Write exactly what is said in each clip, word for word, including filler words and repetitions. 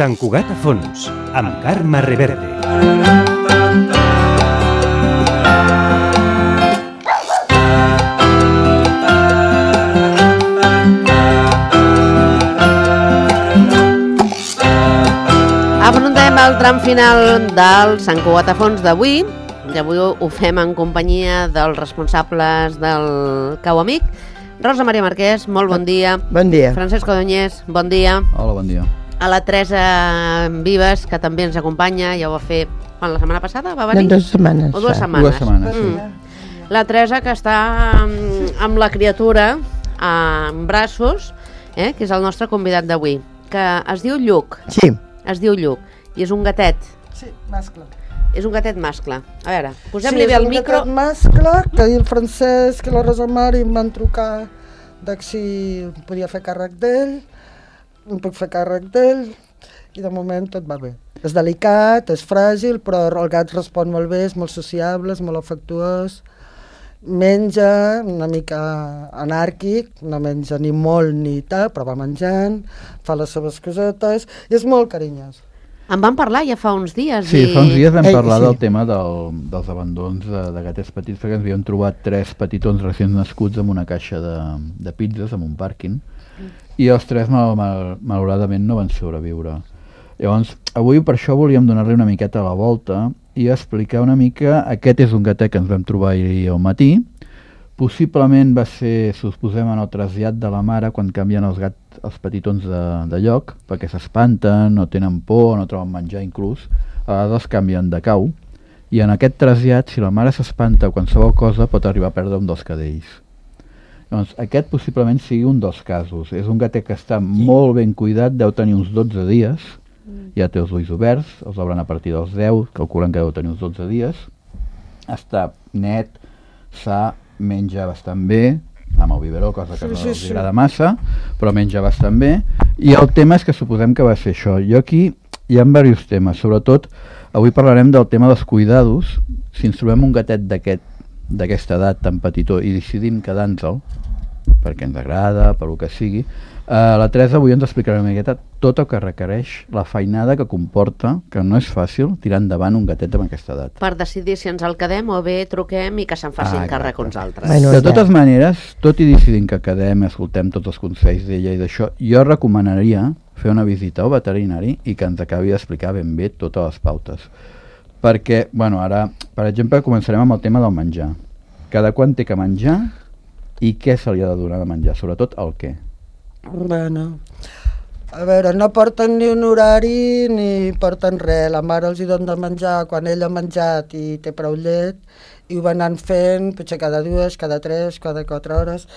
Sant Cugat a fons, amb Carme Reverte. Afrontem el tram final del Sant Cugat a fons d'avui. I avui ho fem en companyia dels responsables del Cau Amic. Rosa Maria Marquès, molt bon dia. Bon dia. Francesc Codonyés, bon dia. Hola, bon dia. A la Teresa Vives, que també ens acompanya, ja ho va fer quan, la setmana passada va venir? No, dues setmanes. O dues setmanes. Dues setmanes, sí. Mm. La Teresa, que està amb, amb la criatura en braços, eh, que és el nostre convidat d'avui, que es diu Lluc. Sí. Es diu Lluc, i és un gatet. Sí, mascle. És un gatet mascle. A veure, posem-li bé el micro. Sí, és un gatet mascle, que ahir el Francesc i la Rosa Mari em van trucar de si podia fer càrrec d'ell, em puc fer càrrec d'ell, i de moment tot va bé. És delicat, és fràgil, però el gat respon molt bé, és molt sociable, és molt afectuós, menja una mica anàrquic, no menja ni molt ni tal, però va menjant, fa les seves cosetes, i és molt carinyós. En vam parlar ja fa uns dies. Sí, i... fa uns dies vam Ei, parlar sí. del tema del, dels abandons de, de gatets petits, perquè ens havíem trobat tres petitons recents nascuts amb una caixa de, de pizzas, en un pàrquing, mm. i els tres mal, mal, malauradament no van sobreviure. Llavors, avui per això volíem donar-li una miqueta a la volta i explicar una mica, aquest és un gatet que ens vam trobar ahir al matí, possiblement va ser, si us posem en el trasllat de la mare, quan canvien els gats, els petitons de, de lloc, perquè s'espanten, no tenen por, no troben menjar inclús, a vegades canvien de cau, i en aquest trasllat, si la mare s'espanta o qualsevol cosa, pot arribar a perdre un dels cadells. Llavors, aquest possiblement sigui un dels casos. És un gatet que està molt ben cuidat, deu tenir uns dotze dies, ja té els ulls oberts, els obren a partir dels deu, calculen que deu tenir uns dotze dies, està net, sa, menja bastant bé, amb el biberó, cosa que sí, no sí, els sí. agrada massa, però menja bastant bé, i el tema és que suposem que va ser això. Jo aquí hi ha diversos temes, sobretot avui parlarem del tema dels cuidados. Si ens trobem un gatet d'aquest, d'aquesta edat tan petitó i decidim quedar-nos-el, perquè ens agrada, per el que sigui, Uh, la Teresa avui ens explicarà una miqueta tot el que requereix, la feinada que comporta, que no és fàcil tirar endavant un gatet amb aquesta edat. Per decidir si ens el quedem o bé truquem i que se'n facin ah, càrrec uns altres. Bueno, de totes maneres, tot i decidint que quedem, escoltem tots els consells d'ella i d'això, jo recomanaria fer una visita al veterinari i que ens acabi d'explicar ben bé totes les pautes. Perquè, bueno, ara, per exemple, començarem amb el tema del menjar. Cada quant té que menjar i què se li ha de donar de menjar, sobretot el què. Bueno, a veure, no porten ni un horari ni porten res. La mare els hi dona de menjar quan ell ha menjat i té prou llet, i ho van anant fent potser cada dues, cada tres, cada quatre hores.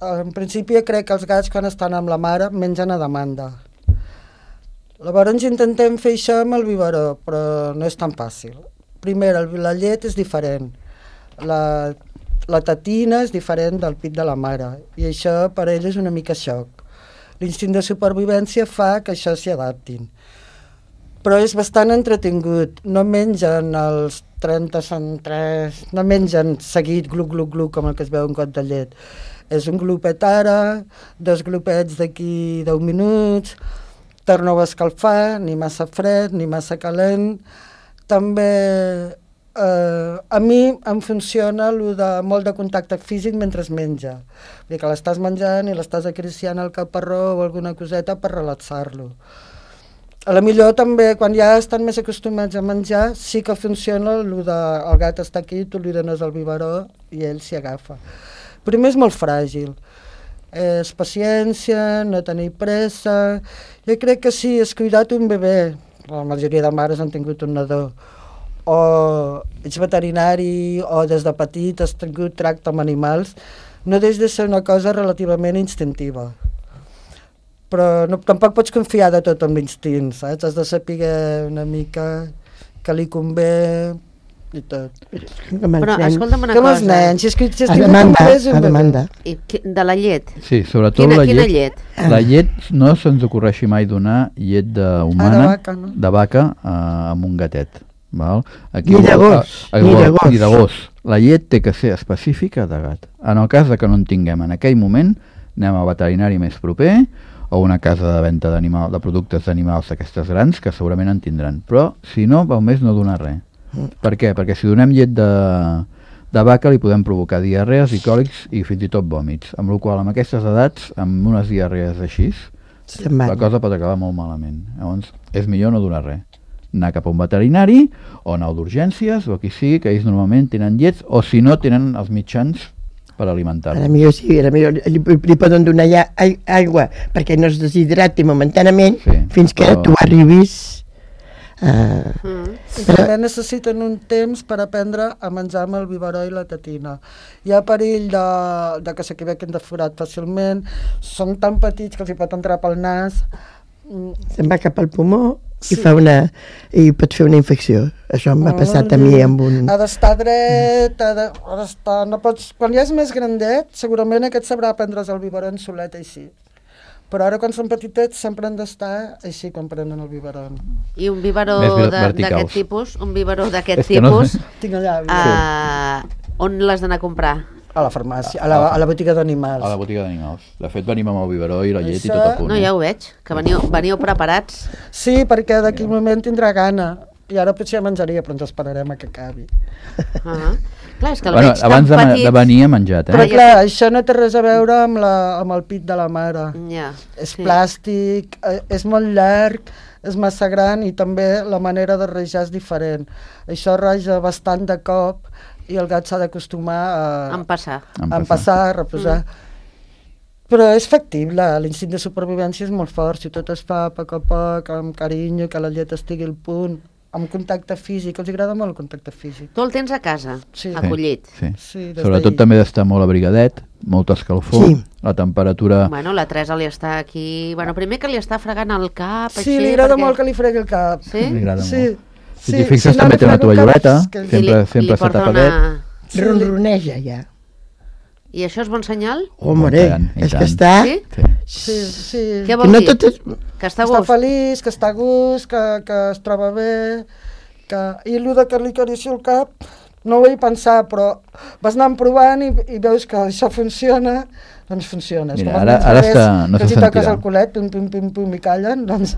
En principi crec que els gats quan estan amb la mare mengen a demanda. Llavors intentem fer això amb el biberó, però no és tan fàcil. Primer, la llet és diferent. La, la tetina és diferent del pit de la mare, i això per ell és una mica xoc. L'instint de supervivència fa que això s'hi adaptin. Però és bastant entretingut. No mengen els trenta centres, no mengen seguit gluc, gluc, gluc, com el que es veu un got de llet. És un glopet ara, dos glopets d'aquí deu minuts, torna-ho a escalfar, ni massa fred, ni massa calent. També Uh, a mi em funciona lo de molt de contacte físic mentre es menja. Vull dir que l'estàs menjant i l'estàs acariciant el caparró o alguna coseta per relaxar-lo. A la millor també, quan ja estan més acostumats a menjar, sí que funciona lo de el gat està aquí, tu li dones el biberó i ell s'hi agafa. Primer és molt fràgil. És paciència, no tenir pressa. Jo crec que sí, és cuidat un bebè. La majoria de mares han tingut un nadó. O ets veterinari o des de petit has tingut tracte amb animals, no deixa de ser una cosa relativament instintiva. Però no, tampoc pots confiar de tot amb l'instint, saps? Has de saber una mica que li convé i tot. Però escolta'm una com cosa. els nens, si és que si a demanda, a demanda. I, de la llet? Sí, sobretot quina, la quina llet. llet? La llet no se'ns ocorreixi mai donar llet de humana, ah, de vaca, no? de vaca uh, amb un gatet. Val? Aquí, ni de gos, a, a, ni de gos. Ni de gos. La llet té que ser específica de gat. En el cas de que no en tinguem en aquell moment, anem al veterinari més proper, o una casa de venda d'animal, de productes d'animals d'aquestes grans, que segurament en tindran. Però, si no, val més no donar res. Mm. Per què? Perquè si donem llet de, de vaca li podem provocar diarrees i còlics i fins i tot vòmits. Amb la qual cosa, amb aquestes edats, amb unes diarrees així, la cosa pot acabar molt malament. Llavors, és millor no donar res. Anar cap a un veterinari o anar d'urgències o qui sigui, que ells normalment tenen llets o si no tenen els mitjans per alimentar-lo. A la millor sí, a la millor li, li poden donar ja aigua perquè no es deshidrati momentanament sí, fins que però... tu arribis uh... mm. I també necessiten un temps per aprendre a menjar amb el biberó i la tetina. Hi ha perill de, de que s'equivoquin de forat fàcilment, són tan petits que els hi pot entrar pel nas. Se'n va cap al pulmó i, sí. fa una, i pot fer una infecció. Això m'ha oh, passat a mi amb un... Ha d'estar dret, ha de, ha d'estar... No pots... Quan ja és més grandet, segurament aquest sabrà prendre's el biberon solet així. Però ara quan són petitets sempre han d'estar així quan prenen el biberon. I un biberó d'aquest tipus, un biberó d'aquest tipus, no... Tinc allà, uh, on l'has d'anar a comprar? A la farmàcia, a la, a la botiga d'animals. A la botiga d'animals. De fet, venim amb el biberó i la llet Això... i tot a punt. No, ja ho veig, que veniu, veniu preparats. Sí, perquè d'aquí un moment tindrà gana. I ara potser ja menjaria, però ens esperarem a que acabi. Uh -huh. Clar, és que el bueno, veig tan abans de, petit. de venir ha menjat, eh? Però clar, això no té res a veure amb, la, amb el pit de la mare. Ja, és sí. plàstic, és molt llarg, és massa gran i també la manera de rejar és diferent. Això reja bastant de cop i el gat s'ha d'acostumar a... a empassar. A empassar, a reposar. Mm. Però és factible, l'instint de supervivència és molt fort, si tot es fa a poc a poc, amb carinyo, que la llet estigui al punt, amb contacte físic, els agrada molt el contacte físic. Tu el tens a casa, sí. acollit. Sí, sí. sí sobretot també d'estar molt abrigadet, molta escalfor, sí. la temperatura... Bueno, la Teresa li està aquí... Bueno, primer que li està fregant el cap, sí, així... Sí, li agrada perquè... molt que li fregui el cap. Sí? Li agrada sí. molt. Si sí, t'hi fixes si també no té una toalloleta, que... sempre, li, sempre s'ha tapadet. Una... Sí. Ronroneja ja. I això és bon senyal? Home, és que està... Sí? Sí, sí. Què vol no dir? Tot és... Que està a gust? Està feliç, que està a gust, que, que es troba bé... Que... I allò de que li acarici el cap, no ho vaig pensar, però vas anant provant i, i veus que això funciona, doncs funciona. Mira, ara, ara està, no se sentirà. Que si toques el culet, pum, pum, pum, pum, i callen, doncs...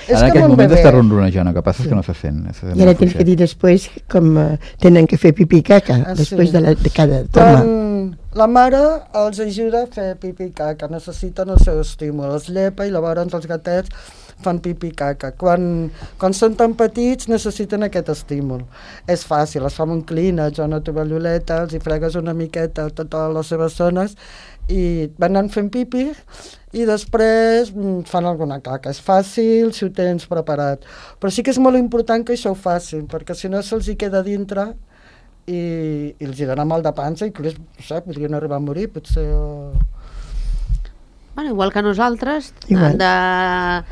És en aquest moment està ronronejant, el que passa és que no se sent. Se sent I ara tens que dir després com uh, tenen que fer pipí i caca, ah, després sí. de, la, de cada toma. Quan la mare els ajuda a fer pipí i caca, necessiten el seu estímul, els llepa i llavors els gatets fan pipí i caca. Quan, quan són tan petits necessiten aquest estímul. És fàcil, es fa amb un clínex o una tovalloleta, els hi fregues una miqueta a totes les seves zones i van anant fent pipi i després fan alguna caca. És fàcil si ho tens preparat. Però sí que és molt important que això ho facin, perquè si no se'ls hi queda dintre i, i els hi dona mal de panxa i inclús, no sé, podrien arribar a morir, potser... O... Bueno, igual que nosaltres, igual. han de...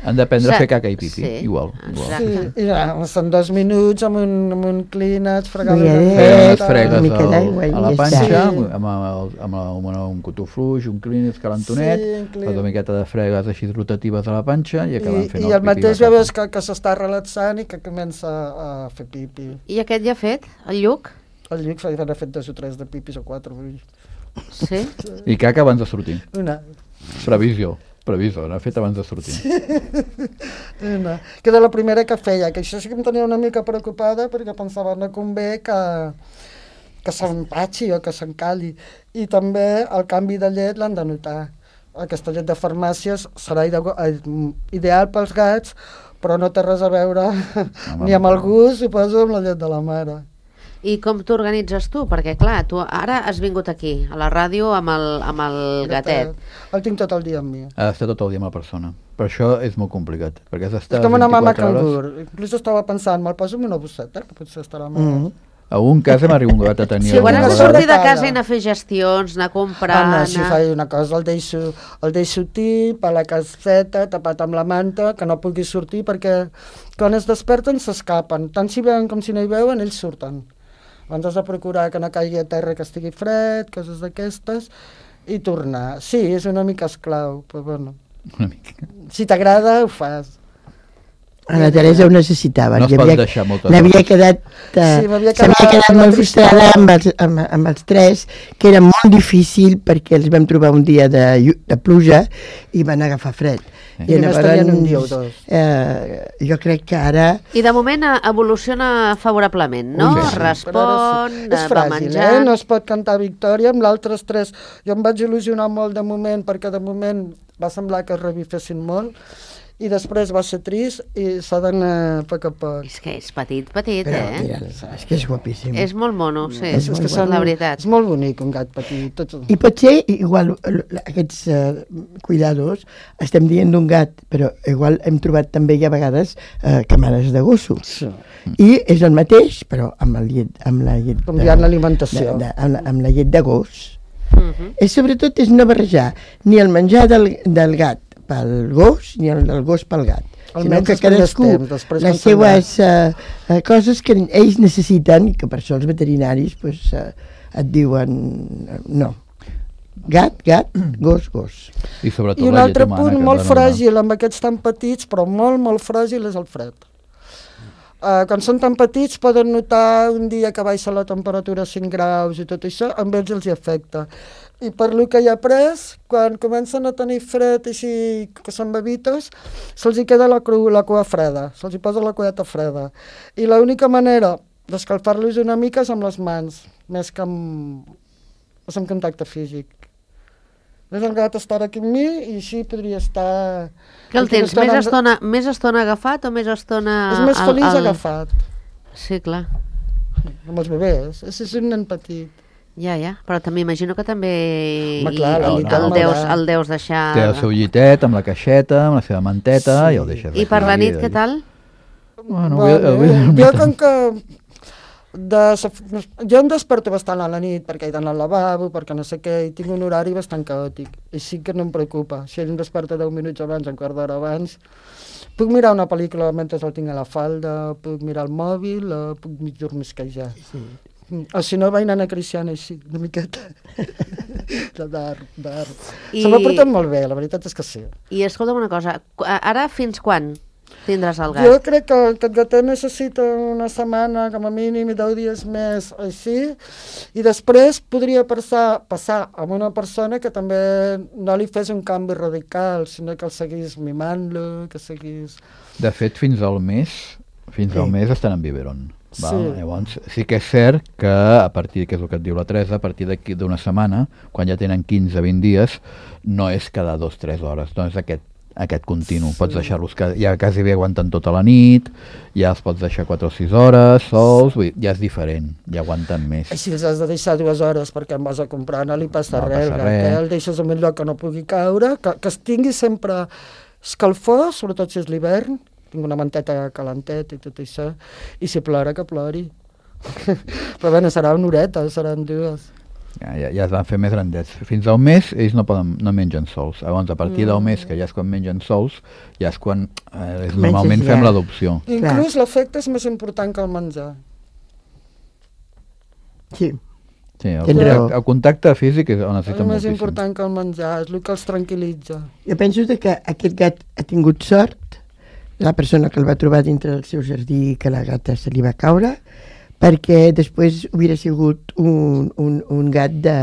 Han d'aprendre a fer caca i pipi, sí, igual. igual. Sí, i ja, són dos minuts amb un, amb un clínex, fregar una mica, fregues mica d'aigua a la panxa, sí. amb, amb, el, amb, el, amb un cotó fluix, un clínex calentonet, sí, una miqueta de fregues així rotatives a la panxa i acaben fent I, el pipi. I el mateix ja veus que, que s'està relaxant i que comença a fer pipi. I aquest ja ha fet, el Lluc? El Lluc ha fet dos o tres de pipis o quatre. Sí? I caca abans de sortir. Una. Previsió. Previsió, n'ha fet abans de sortir. No. Que era la primera que feia, que això sí que em tenia una mica preocupada perquè pensava no convé que, que s'empatxi o que s'encali. I també el canvi de llet l'han de notar. Aquesta llet de farmàcies serà ideal pels gats, però no té res a veure Home, ni amb el gust, suposo, amb la llet de la mare. I com t'organitzes tu? Perquè, clar, tu ara has vingut aquí, a la ràdio, amb el, amb el gatet. El tinc tot el dia amb mi. Ha d'estar tot el dia amb la persona. Per això és molt complicat. Perquè has d'estar és com una mama cangur. Hores... Inclús estava pensant, me'l poso amb una bosseta, que potser estarà més... Mm -hmm. A un cas hem arribat a tenir... Sí, quan has de sortir de casa i anar a fer gestions, anar a comprar... Anar... Anar... Si faig una cosa, el deixo, el deixo tip, a la caseta, tapat amb la manta, que no pugui sortir, perquè quan es desperten s'escapen. Tant si veuen com si no hi veuen, ells surten. Abans has de procurar que no caigui a terra, que estigui fred, coses d'aquestes, i tornar. Sí, és una mica esclau, però bueno. Una mica. Si t'agrada, ho fas. A la Teresa ho necessitava. No es pot deixar moltes L'havia hores. quedat, eh, Sí, m'havia s'havia quedat quedat la molt tristesa. frustrada amb els, amb, amb els tres, que era molt difícil perquè els vam trobar un dia de, llu- de pluja i van agafar fred. Sí. I només tenien un dia o dos. Eh, jo crec que ara... I de moment eh, evoluciona favorablement, no? Sí, sí. Respon, Però ara sí. És va fràgil, menjant... eh? No es pot cantar victòria. Amb l'altres tres jo em vaig il·lusionar molt de moment, perquè de moment va semblar que es revifessin molt, i després va ser trist i s'ha d'anar a poc a poc. És que és petit, petit, Però, eh? mira, és que és guapíssim. És molt mono, sí, És és, molt és la veritat. És molt bonic, un gat petit. Tot... I potser, igual, l- aquests uh, cuidados, estem dient d'un gat, però igual hem trobat també ja a vegades uh, camares de gossos. Sí. I és el mateix, però amb, el llet, amb la llet... Com dient l'alimentació. de- de- Amb, la- amb la llet de gos. Mhm. És sobretot és no barrejar ni el menjar del, del gat pel gos, ni el del gos pel gat. Sinó Almenys que els primers cadascú, temps, després les quan se'n seues uh, uh, coses que ells necessiten, i que per això els veterinaris pues, uh, et diuen uh, no. Gat, gat, gos, gos. I sobretot I un la altre llet humana, punt que molt ens ha de fràgil amb aquests tan petits, però molt, molt fràgil, és el fred. Uh, quan són tan petits poden notar un dia que baixa la temperatura a cinc graus i tot això, amb ells els hi afecta. I per lo que hi ha pres, quan comencen a tenir fred i si, que són bebitos, se'ls hi queda la, cru, la cua freda, se'ls hi posa la cueta freda. I l'única manera d'escalfar-los una mica és amb les mans, més que amb, és amb contacte físic. És el gat estar aquí amb mi i així podria estar... Que el tens més estona, més estona agafat o més estona... És més al- feliç al- agafat, Sí, clar. amb els bebès. És, és un nen petit. Ja, ja, però també imagino que també Home, clar, la i nit el, no. deus, el deus deixar... Té el seu llitet amb la caixeta, amb la seva manteta, Sí. i el deixes I per la aquí, nit, què tal? Bueno, Vale. avui, avui, Jo com que... De, jo em desperto bastant a la nit perquè he d'anar al lavabo, perquè no sé què, i tinc un horari bastant caòtic. I sí que no em preocupa. Si ell em desperta deu minuts abans, un quart d'hora abans, puc mirar una pel·lícula mentre el tinc a la falda, puc mirar el mòbil, o puc mig dormisquejar. Sí. O si no, vaig anar a Cristiana així, una miqueta. De dar, dar. I- Se m'ha portat molt bé, la veritat és que sí. I escolta'm una cosa, qu- ara fins quan tindràs el Jo gat? crec que aquest gatet necessita una setmana, com a mínim, i deu dies més així, i després podria passar, passar amb una persona que també no li fes un canvi radical, sinó que el seguís mimant-lo, que seguís... De fet, fins al mes, fins Sí. al mes estan en biberon. Val? Sí. Llavors, sí que és cert que a partir, que és el que et diu la Teresa, a partir d'aquí d'una setmana, quan ja tenen quinze a vint dies, no és cada dos o tres hores, no és aquest aquest continu, sí. Pots deixar-los, que ja quasi bé aguanten tota la nit, ja els pots deixar quatre o sis hores sols, vull dir, ja és diferent, ja aguanten més. Així els has de deixar dues hores perquè em vas a comprar, no li passa No res, passa el gat, res. eh? El deixes en un lloc que no pugui caure, que, que es tingui sempre escalfor, sobretot si és l'hivern, tinc una manteta calenteta i tot això, i si plora, que plori. Però bé, serà una horeta, seran dues. Ja, ja, ja es van fer més grandets. Fins al mes ells no, poden, no mengen sols. Llavors, a partir del mes, que ja és quan mengen sols, ja és quan eh, és, normalment ja. fem l'adopció. Inclús l'efecte és més important que el menjar. Sí. Sí, el, Tens raó. contacte, el contacte físic és on És necessita més moltíssim. important que el menjar, és el que els tranquil·litza. Jo penso de que aquest gat ha tingut sort, la persona que el va trobar dintre del seu jardí, que la gata se li va caure, perquè després hauria sigut un, un, un gat de,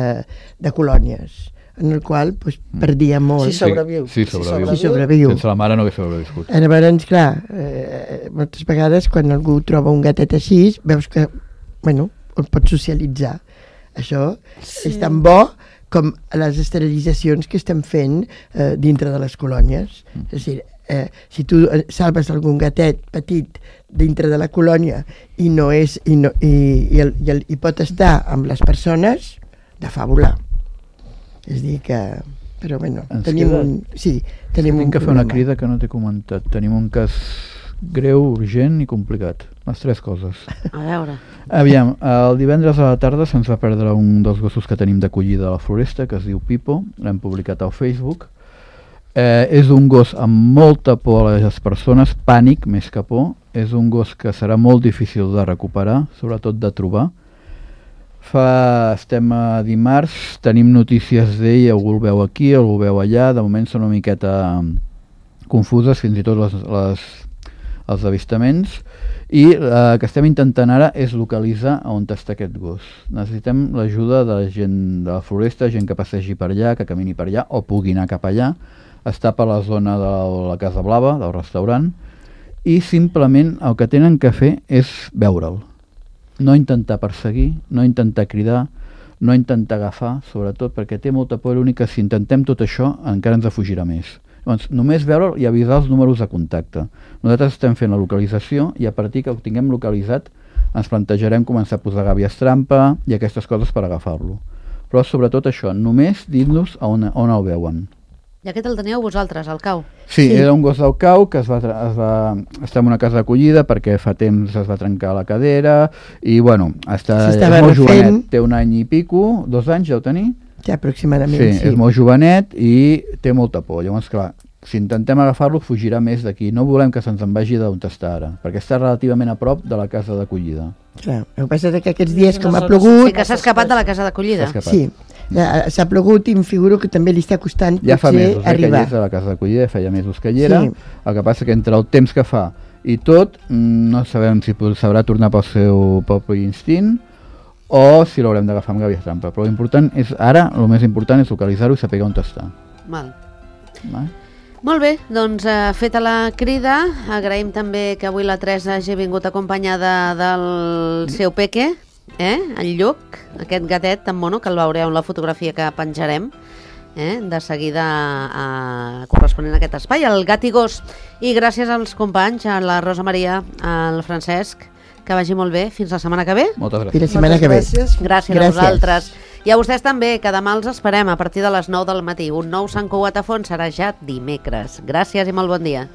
de colònies, en el qual pues, perdia molt. Sí, sobreviu. Sí, sí, sobreviu. Sí, sobreviu. Sense la mare no hagués sobreviscut. Llavors, clar, eh, moltes vegades quan algú troba un gatet així, veus que, bueno, el pot socialitzar. Això Sí. és tan bo com les esterilitzacions que estem fent eh, dintre de les colònies. Mm. És a dir, eh, si tu eh, salves algun gatet petit dintre de la colònia i no és i, no, i, i, el, i, el, i pot estar amb les persones, de fàbula. És a dir que... Però bueno, Ens tenim queda- un... Sí, tenim Tinc un que fer una problema. crida que no t'he comentat. Tenim un cas greu, urgent i complicat. Les tres coses. A veure. Aviam, el divendres a la tarda se'ns va perdre un dels gossos que tenim d'acollida a la floresta, que es diu Pipo, l'hem publicat al Facebook. Eh, és un gos amb molta por a les persones, pànic més que por. És un gos que serà molt difícil de recuperar, sobretot de trobar. Fa, estem a dimarts, tenim notícies d'ell, algú el veu aquí, algú el veu allà, de moment són una miqueta confuses, fins i tot les, les, els avistaments, i el que estem intentant ara és localitzar on està aquest gos. Necessitem l'ajuda de la gent de la floresta, gent que passegi per allà, que camini per allà, o pugui anar cap allà. Està per la zona de la Casa Blava, del restaurant, i simplement el que tenen que fer és veure'l. No intentar perseguir, no intentar cridar, no intentar agafar, sobretot perquè té molta por, l'únic que si intentem tot això encara ens afugirà més. Llavors, només veure'l i avisar els números de contacte. Nosaltres estem fent la localització i a partir que ho tinguem localitzat ens plantejarem començar a posar gàbies trampa i aquestes coses per agafar-lo. Però sobretot això, només dir-nos on, on el veuen. I aquest el teníeu vosaltres, al cau? Sí, sí, era un gos del cau que es va, es va estar en una casa d'acollida perquè fa temps es va trencar la cadera i bueno, està, és molt jovenet, té un any i pico, dos anys ja ho tenir? Ja, aproximadament, sí. sí. És molt jovenet i té molta por. Llavors, clar, si intentem agafar-lo, fugirà més d'aquí. No volem que se'ns en vagi d'on està ara, perquè està relativament a prop de la casa d'acollida. Clar, el que passa és que aquests dies, com ha plogut... Sí, que s'ha escapat de la casa d'acollida. Sí, s'ha plogut i em figuro que també li està costant ja fa mesos arribar. Eh, que hi és a la casa d'acollida, feia mesos que hi era. Sí. El que passa que entre el temps que fa i tot, no sabem si sabrà tornar pel seu propi instint o si l'haurem d'agafar amb gàbies trampa. Però l'important és, ara, el més important és localitzar-ho i saber on està. Val. Val? Molt bé, doncs eh, feta la crida, agraïm també que avui la Teresa hagi vingut acompanyada del seu peque, eh? El Lluc, aquest gatet tan mono, que el veureu en la fotografia que penjarem, eh? De seguida eh, corresponent a aquest espai, el gat i gos. I gràcies als companys, a la Rosa Maria, al Francesc, que vagi molt bé. Fins la setmana que ve. Moltes gràcies. Fins la setmana que ve. Gràcies. Gràcies, gràcies a vosaltres. I a vostès també, que demà els esperem a partir de les nou del matí. Un nou Sant Cugat a Fons serà ja dimecres. Gràcies i molt bon dia.